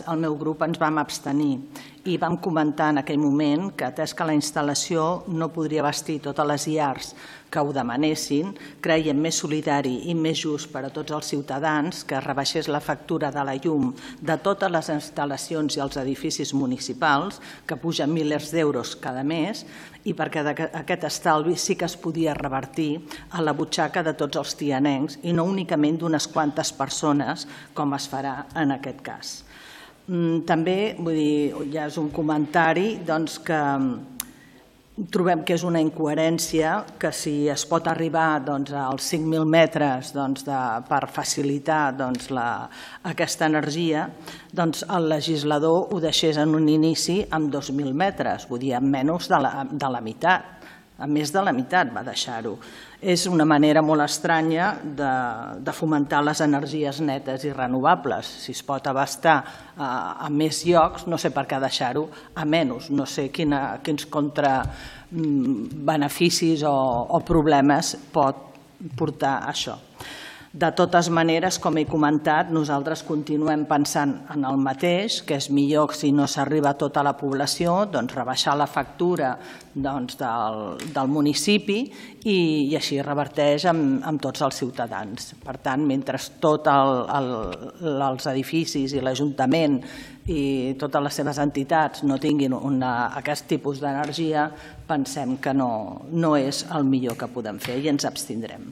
el meu grup ens vam abstenir i vam comentar en aquell moment que, atès que la instal·lació no podria abastir totes les llars que ho demanessin, creiem més solidari i més just per a tots els ciutadans que es rebaixés la factura de la llum de totes les instal·lacions i els edificis municipals, que pugen milers d'euros cada mes, i perquè aquest estalvi sí que es podia revertir a la butxaca de tots els tianencs i no únicament d'unes quantes persones, com es farà en aquest cas. També, ja és un comentari, que trobem que és una incoherència que si es pot arribar als 5.000 metres per facilitar aquesta energia, el legislador ho deixés en un inici amb 2.000 metres, vull dir, amb menys de la meitat. A més de la meitat va deixar-ho. És una manera molt estranya de fomentar les energies netes i renovables. Si es pot abastar a més llocs, no sé per què deixar-ho a menys. No sé quins contrabeneficis o problemes pot portar això. De totes maneres, com he comentat, nosaltres continuem pensant en el mateix, que és millor si no s'arriba a tota la població, rebaixar la factura del municipi i així reverteix amb tots els ciutadans. Per tant, mentre tots els edificis i l'Ajuntament i totes les seves entitats no tinguin aquest tipus d'energia, pensem que no és el millor que podem fer i ens abstindrem.